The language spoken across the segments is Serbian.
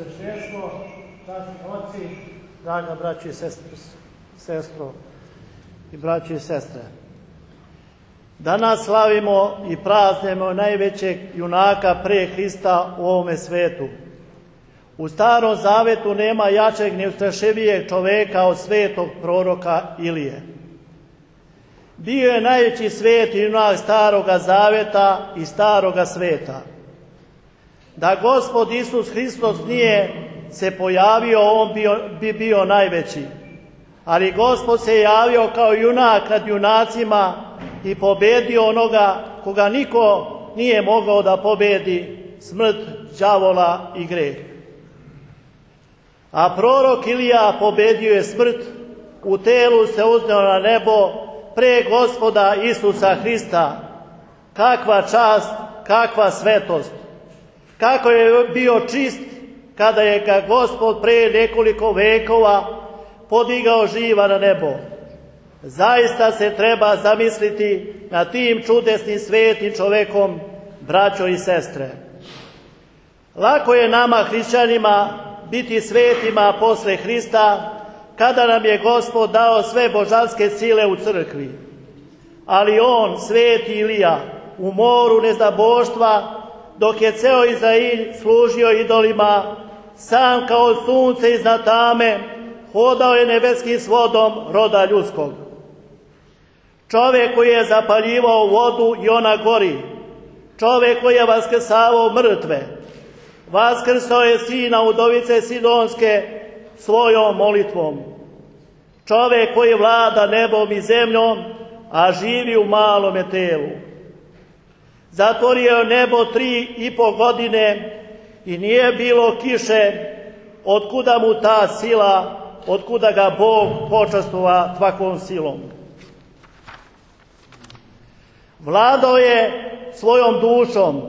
Sveštenstvo, časni oci, draga braći i sestro i braći i sestre. Danas slavimo i praznujemo najvećeg junaka pre Hrista u ovome svetu. U Starom Zavetu nema jačeg ni ustrašivijeg čoveka od svetog proroka Ilije. Bio je najveći sveti junak Staroga Zaveta i Staroga sveta. Da Gospod Isus Hristos nije se pojavio, on bi bio najveći. Ali Gospod se javio kao junak nad junacima i pobedio onoga koga niko nije mogao da pobedi, smrt, đavola i greh. A prorok Ilija pobedio je smrt, u telu se uzneo na nebo pre Gospoda Isusa Hrista. Kakva čast, kakva svetost! Kako je bio čist kada je ga Gospod pre nekoliko vekova podigao živa na nebo. Zaista se treba zamisliti nad tim čudesnim svetim čovekom, braćo i sestre. Lako je nama, hrišćanima, biti svetima posle Hrista, kada nam je Gospod dao sve božanske sile u crkvi. Ali on, sveti Ilija, u moru neznaboštva, dok je ceo Izrael služio idolima, sam kao sunce iznad tame, hodao je nebeskim svodom roda ljudskog. Čovek koji je zapaljivao vodu i ona gori, čovek koji je vaskrsavao mrtve, vaskrsao je sina udovice Sidonske svojom molitvom. Čovek koji vlada nebom i zemljom, a živi u malome telu. Zatvorio je nebo 3,5 godine i nije bilo kiše, otkuda mu ta sila, otkuda ga Bog počastova takvom silom. Vladao je svojom dušom,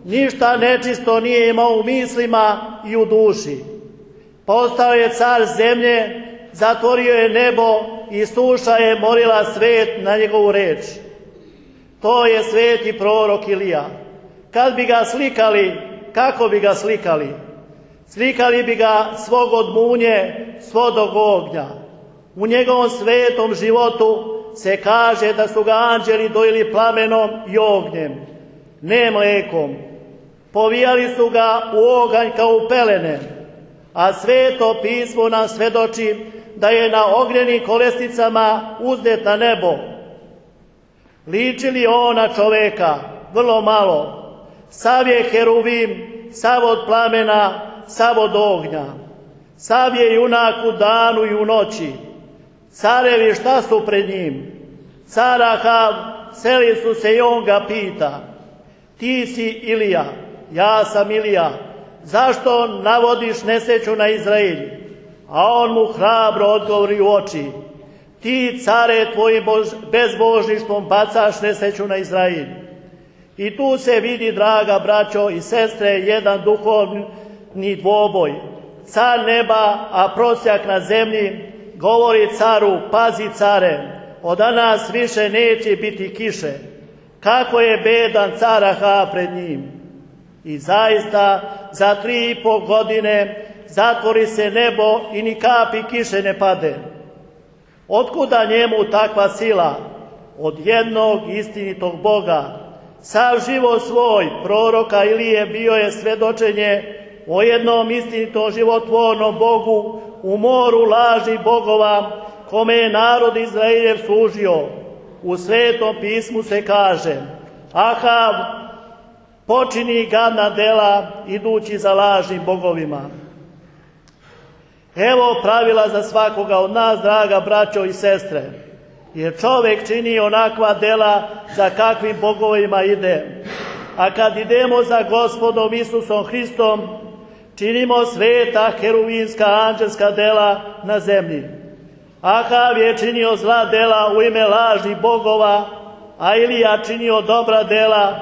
ništa nečisto nije imao u mislima i u duši. Postao je car zemlje, zatvorio je nebo i suša je morila svet na njegovu reč. To je sveti prorok Ilija. Kad bi ga slikali, kako bi ga slikali? Slikali bi ga svog od munje, svodog ognja. U njegovom svetom životu se kaže da su ga anđeli dojili plamenom i ognjem, ne mlekom. Povijali su ga u oganj kao u pelene, a sveto pismo nam svedoči da je na ognjenim kolesnicama uzdet na nebo. Liči li on na čoveka? Vrlo malo. Sav je heruvim, sav od plamena, sav od ognja. Sav je junak u danu i u noći. Carevi šta su pred njim? Car Ahav, seli su se i on ga pita. Ti si Ilija, ja sam Ilija. Zašto navodiš nesreću na Izrael? A on mu hrabro odgovori u oči. Ti, care, tvojim bezbožništvom bacaš nesreću na Izrael. I tu se vidi, draga braćo i sestre, jedan duhovni dvoboj. Car neba, a prosjak na zemlji, govori caru, pazi care, od danas više neće biti kiše. Kako je bedan car Ahav pred njim. I zaista, za 3,5 godine zatvori se nebo i ni kapi kiše ne pade. Otkuda njemu takva sila? Od jednog istinitog Boga. Sav život svoj proroka Ilije bio je svedočenje o jednom istinitom životvornom Bogu u moru lažnih bogova, kome je narod Izraeljev služio. U Svetom pismu se kaže: Ahav počini gadna dela idući za lažnim bogovima. Evo pravila za svakoga od nas, draga braćo i sestre, jer čovek čini onakva dela za kakvim bogovima ide. A kad idemo za Gospodom Isusom Hristom, činimo sveta heruvinska anđelska dela na zemlji. Ahav je činio zla dela u ime lažnih bogova, a Ilija činio dobra dela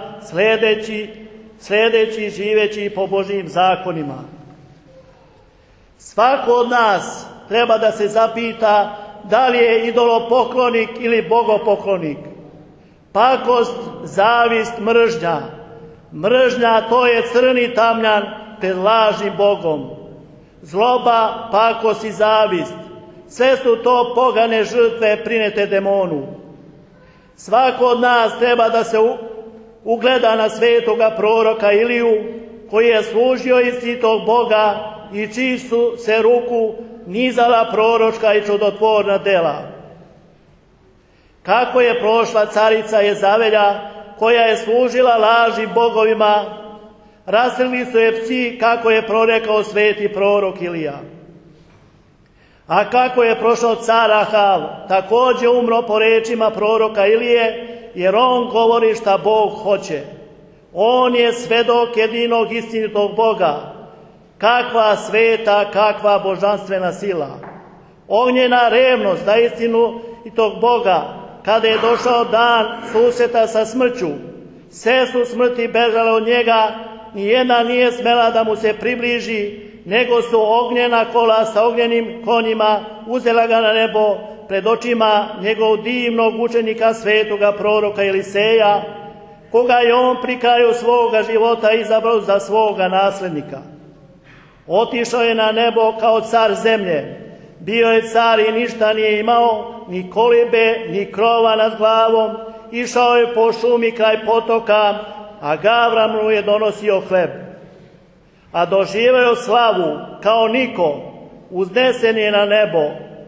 sledeći živeći po Božjim zakonima. Svako od nas treba da se zapita da li je idolopoklonik ili bogopoklonik. Pakost, zavist, mržnja. Mržnja, to je crni tamjan pred lažnim Bogom. zloba, pakost i zavist. Sve su to pogane žrtve prinete demonu. Svako od nas treba da se ugleda na svetoga proroka Iliju, koji je služio istinitog Boga i čiji su se ruku nizala proročka i čudotvorna dela. Kako je prošla carica Jezavelja, koja je služila laži bogovima, rastrgli su je psi, kako je prorekao sveti prorok Ilija. A kako je prošao car Ahav, takođe umro po rečima proroka Ilije, jer on govori šta Bog hoće. On je svedok jedinog istinitog Boga. Kakva sveta, kakva božanstvena sila. Ognjena revnost za istinu i tog Boga, kada je došao dan susreta sa smrću. Sve su smrti bežale od njega, nijedna nije smela da mu se približi, nego su ognjena kola sa ognjenim konjima uzela ga na nebo pred očima njegovog divnog učenika svetoga proroka Eliseja, koga je on pri kraju svoga života izabrao za svoga naslednika. Otišao je na nebo kao car zemlje. Bio je car i ništa nije imao, ni kolibe, ni krova nad glavom. Išao je po šumi kraj potoka, a Gavran mu je donosio hleb. A doživeo slavu kao niko, uznesen je na nebo.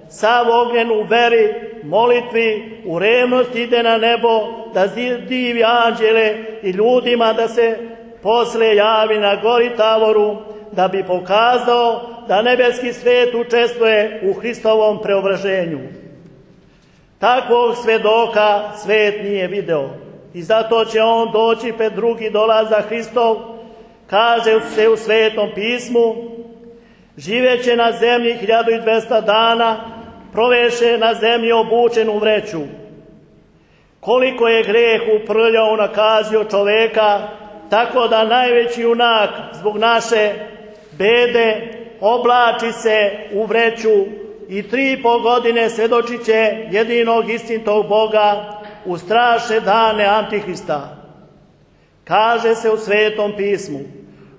Sav ognjen u veri, molitvi, u revnosti ide na nebo, da divi anđele i ljudima da se posle javi na gori Tavoru, da bi pokazao da nebeski svet učestvuje u Hristovom preobraženju. Takvog svedoka svet nije video i zato će on doći pred drugi dolazak Hristov, kaže se u Svetom pismu, živeće na zemlji 1200 dana, proveše na zemlji obučen u vreću. Koliko je greh uprljao, nakazio čoveka, tako da najveći junak zbog naše bede oblači se u vreću i 3,5 godine svedočit će jedinog istinitog Boga u strašne dane Antihrista. Kaže se u Svetom pismu,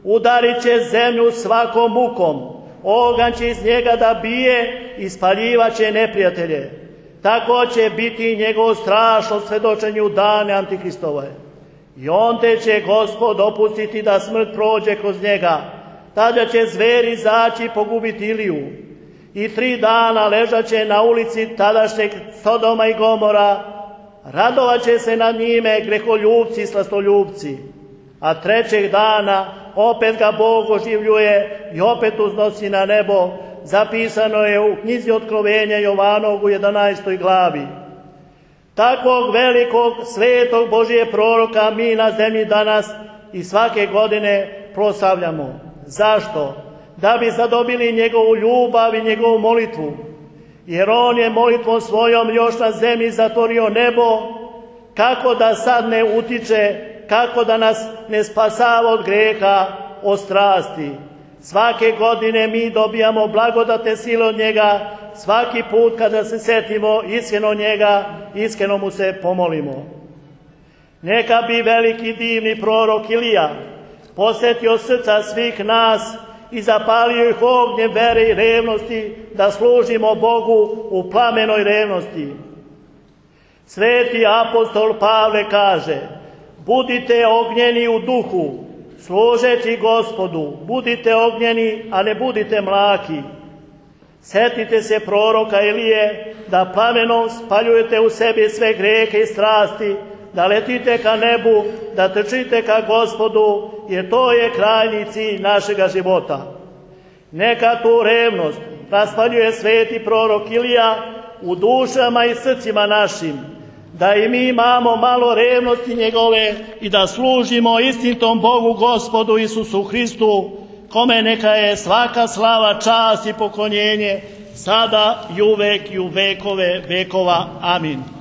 udarit će zemlju svakom mukom, oganj će iz njega da bije i spaljivaće neprijatelje. Tako će biti njegovo strašno svedočenje u dane Antihristove. I onda će Gospod dopustiti da smrt prođe kroz njega. Tada će zveri zaći pogubiti Iliju. I 3 dana ležat će na ulici tadašnjeg Sodoma i Gomora. Radovat će se nad njime greholjubci i slastoljubci. A 3. dana opet ga Bog oživljuje i opet uznosi na nebo. Zapisano je u knjizi Otkrovenja Jovanog u 11. glavi. Takvog velikog, svetog Božije proroka mi na zemlji danas i svake godine proslavljamo. Zašto? Da bi zadobili njegovu ljubav i njegovu molitvu. Jer on je molitvom svojom još na zemlji zatvorio nebo, kako da sad ne utiče, kako da nas ne spasava od greha, od strasti. Svake godine mi dobijamo blagodate sile od njega, svaki put kada se setimo iskreno njega, iskreno mu se pomolimo. Neka bi veliki divni prorok Ilija posjetio srca svih nas i zapalio ih ognjem vere i revnosti da služimo Bogu u plamenoj revnosti. Sveti apostol Pavle kaže, budite ognjeni u duhu, služeći Gospodu, budite ognjeni, a ne budite mlaki. Setite se proroka Ilije, da plamenom spaljujete u sebi sve grehe i strasti, da letite ka nebu, da trčite ka Gospodu, jer to je krajnji cilj našega života. Neka tu revnost raspaljuje sveti prorok Ilija u dušama i srcima našim, da i mi imamo malo revnosti njegove i da služimo istinitom Bogu Gospodu Isusu Hristu, kome neka je svaka slava, čast i poklonjenje, sada i uvek i u vekove vekova. Amin.